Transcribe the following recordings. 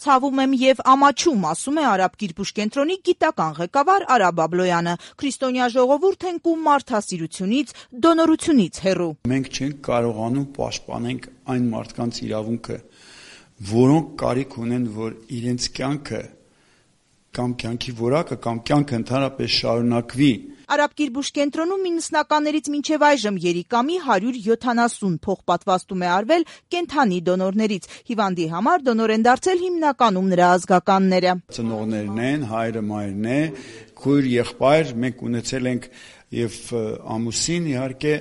Ցավում եմ եւ ամաչում, ասում է Արաբ Կիրպուշ կենտրոնի գիտական ղեկավար Արա Բաբլոյանը։ Քրիստոնյա ժողովուրդ ենք ու մարդասիրությունից, դոնորությունից հեռու։ Մենք չենք կարողանում պաշտպանենք այն մարդկանց իրավունքը, որոնք կարիք ունեն, որ իրենց կյանքը կամ կյանքի որակը կամ կյանքը ընդհանրապես շարունակվի։ Արաբ Կիրպուշ կենտրոնում 90-ականներից մինչև այժմ երիկամի 170 փոխպատվաստում է արվել կենդանի դոնորներից։ Հիվանդի համար դոնոր են դարձել հիմնականում նրա ազգականները։ Ծնողներն են, հայրը, մայրն է, քույր, եղբայր, մենք ունեցել ենք եւ ամուսին իհարկե,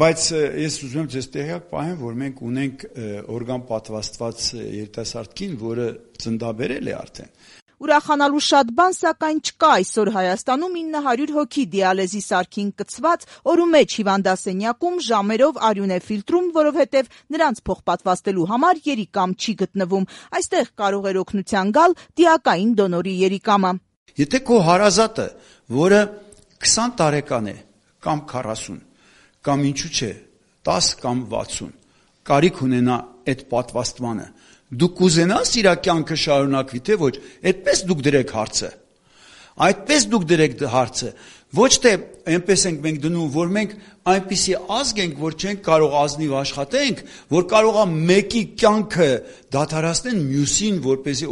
բայց ես ուզում եմ ձեզ տեղյակ պահեմ, որ մենք ունենք օրգան պատվաստված երիտասարդ կին, որը ծննդաբերել է արդեն։ Ուրախանալու շատ բան, սակայն չկա այսօր Հայաստանում 900 հոգի դիալեզի սարքին կցված, օրու մեջ հիվանդասենյակում ժամերով արյուն է ֆիլտրում, որովհետև նրանց փոխպատվաստելու համար երիկամ չի գտնվում։ Այստեղ կարող էր օգնության գալ դիակային դոնորի երիկամը։ Եթե քո հարազատը, որը 20 տարեկան է կամ 40, կամ ինչու՞ չէ, 10 կամ 60, կարիք ունենա այդ պատվաստմանը, դուք կուզենաս իր կյանքը շարունակվի, թե ոչ, այդպես դուք դրեք հարցը, այդպես դուք դրեք հարցը, ոչ թե այնպես ենք մենք դնում, որ մենք այնպիսի ազգ ենք, որ չենք կարող ազնիվ աշխատենք, որ կարողա մեկի կյանքը դադարեցնել մյուսին, որպեսզի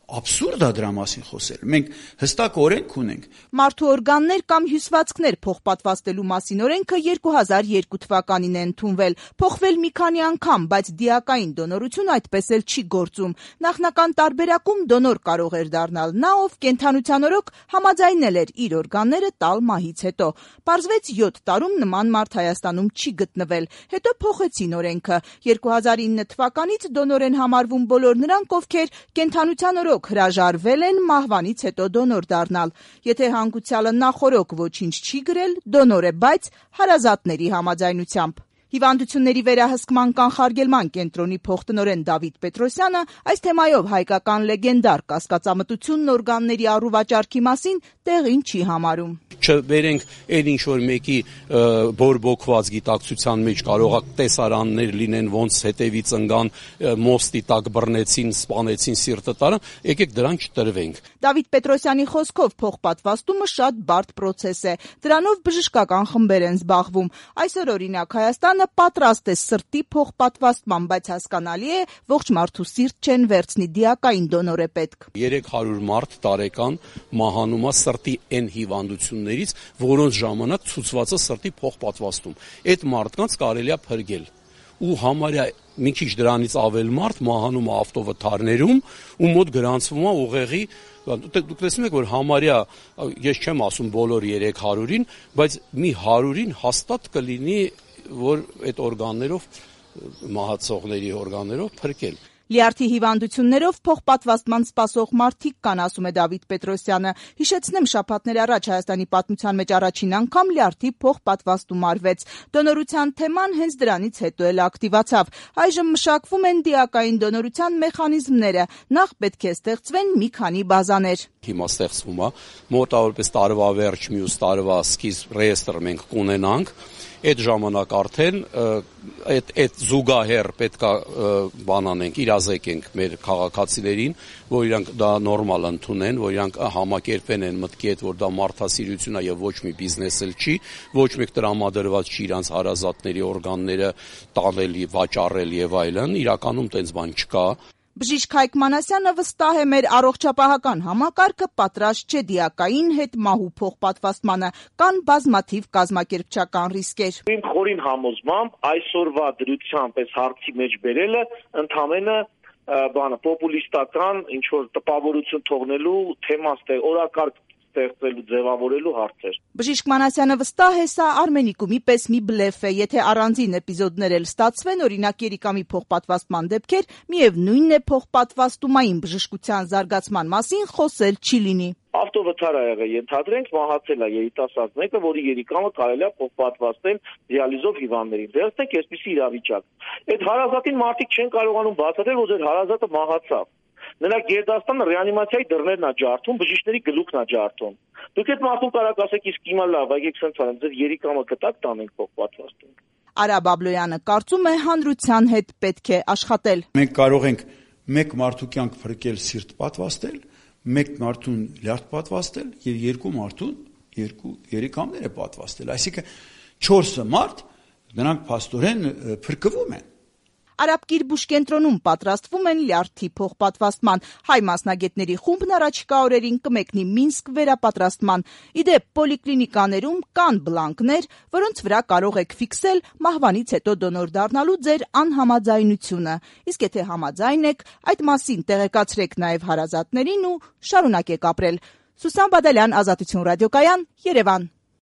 Աբսուրդ է դրա մասին խոսել, մենք հստակ օրենք ունենք։ Մարդու օրգաններ կամ հյուսվածքներ փոխպատվաստելու մասին օրենքը 2002 թվականին է ընդունվել, փոխվել մի քանի անգամ, բայց դիակային դոնորություն այդպես էլ չի գործում։ Նախնական տարբերակում դոնոր կարող էր դառնալ նա, ով կենդանության օրոք համաձայնել էր իր օրգանները տալ մահից հետո։ Պարզվեց 7 տարում նման մարդ Հայաստանում չի գտնվել, հետո փոխեցին օրենքը։ 2009 թվականից դոնոր են համարվում բոլոր նրանք, ովքեր կենդանության օրոք հրաժարվել են մահվանից հետո դոնոր դառնալ։ Եթե հանգուցյալը նախօրոք ոչինչ չի գրել, դոնոր է, բայց հարազատների համաձայնությամբ։ Հիվանդությունների վերահսկման կանխարգելման կենտրոնի փոխտնօրեն Դավիթ Պետրոսյանը այս թեմայով հայկական լեգենդար կասկածամտությունն օրգանների առուվաճառքի մասին տեղին չի համարում։ Չբերենք այն ինչ որ մեկի բորբոքված գիտակցության մեջ կարող է տեսարաններ լինեն, ոնց հետևից ընկան, մոստի տակ բռնեցին, սպանեցին, սիրտը տարան, եկեք դրան չտրվենք։ Դավիթ Պետրոսյանի խոսքով փոխպատվաստումը շատ բարդ պրոցես է։ Դրանով բժշկական խմբեր են զբաղվում։ Այսօր օրինակ Հայաստանը պատրաստ է սրտի փոխպատվաստման, բայց հասկանալի է, ողջ մարդու սիրտ չեն վերցնի, դիակային դոնոր է պետք։ 300 մարդ տարեկան մահանում է սրտի այն հիվանդություններից, որոնց ժամանակ ցուցված է սրտի փոխպատվաստում։ Այդ մարդկանց կարելի է փրկել։ Ու համարյա մի քիչ դրանից ավել մարդ մահանում է ավտովթարներում ու մոտ գրանցվում է ուղեղի, դուք տեսնում եք, որ համարյա, ես չեմ ասում բոլոր 300-ին, բայց մի 100-ին հաստատ կլինի, որ այդ օրգաններով, մահացողների օրգաններով փրկել։ Լյարդի հիվանդություններով փոխպատվաստման սպասող մարդիկ կան, ասում է Դավիթ Պետրոսյանը։ Հիշեցնեմ, շաբաթներ առաջ Հայաստանի պատմության մեջ առաջին անգամ լյարդի փոխպատվաստում արվեց։ Դոնորության թեման հենց դրանից հետո էլ ակտիվացավ։ Այժմ մշակվում են դիակային դոնորության մեխանիզմները։ Նախ պետք է ստեղծվեն մի քանի բազաներ։ Հիմա ստեղծվում է, մոտավորապես տարվա վերջ, մյուս տարվա սկիզբ ռեեստրը մենք կունենանք։ Այդ ժամանակ արդեն այդ զուգահեռ պետքա բանանենք, իրազեկենք մեր քաղաքացիներին, որ իրանք դա նորմալ ընդունեն, որ իրանք համակերպեն են մտքի հետ, որ դա մարդասիրություն է եւ ոչ մի բիզնես էլ չի, ոչ մեկ տրամադրված չի իրանց հարազատների օրգանները տանել, վաճառել եւ այլն, իրականում տենց բան չկա։ Բժիշկ Հայկ Մանասյանը վստահ է, մեր առողջապահական համակարգը պատրաստ չէ դիակային հետ մահու փոխպատվաստմանը, կան բազմաթիվ կազմակերպչական ռիսկեր։ Իմ խորին համոզմամբ այսօրվա դրությամբ այս հարցի մեջ բերելը ընդհանրապես պոպուլիստական ինչ որ տպավորություն թողնելու թեմա օրակարգ ստեղծելու ձևավորելու հարցեր։ Բժիշկ Մանասյանը վստահ է, սա Արմենիկումի պես մի բլեֆ է, եթե առանձին էպիզոդներ էլ ստացվեն, օրինակ երիկամի փոխպատվաստման դեպքեր, միևնույնն է փոխպատվաստումային բժշկության զարգացման մասին խոսել չի լինի։ Ավտովթար ա եղել, ենթադրենք մահացել է երիտասարդ մեկը, որի երիկամը կարելի է փոխպատվաստել դիալիզով հիվանդներին։ Դերստեք այսպիսի իրավիճակ։ Այդ հարազատին մարդիկ չեն կարողանում բացատրել, որ ձեր հարազատը մահացավ։ Նրա գերդաստանը ռեանիմացիայի դռներն է ջարդում, բժիշկների գլուխն է ջարդում։ Դուք այդ մարդուն կարող ասեք, իսկ հիմա լավ, եկեք սենց անենք, ձեր երիկամը կտակ տանենք փոխպատվաստենք։ Արա Բաբլոյանը կարծում է, հանրության հետ պետք է աշխատել։ Մենք կարող ենք մեկ մարդու կյանք փրկել, սիրտ պատվաստել, մեկ մարդուն լյարդ պատվաստել եւ երկու մարդուն երկու երիկամներ է պատվաստել, այսինքն 4 մարդ նրանք փաստորեն փրկվում են։ Արաբկիրբուշ կենտրոնում պատրաստվում են լյարդի փոխպատվաստման։ Հայ մասնագետների խումբն առաջիկա օրերին կմեկնի Մինսկ վերապատրաստման։ Իդեպ պոլիկլինիկաներում կան բլանկներ, որոնց վրա կարող եք ֆիքսել մահվանից հետո դոնոր դառնալու ձեր անհամաձայնությունը։ Իսկ եթե համաձայն եք, այդ մասին տեղեկացրեք նաև հարազատներին ու շարունակեք ապրել։ Սուսան Բադալյան, Ազատություն ռադիոկայան, Երևան։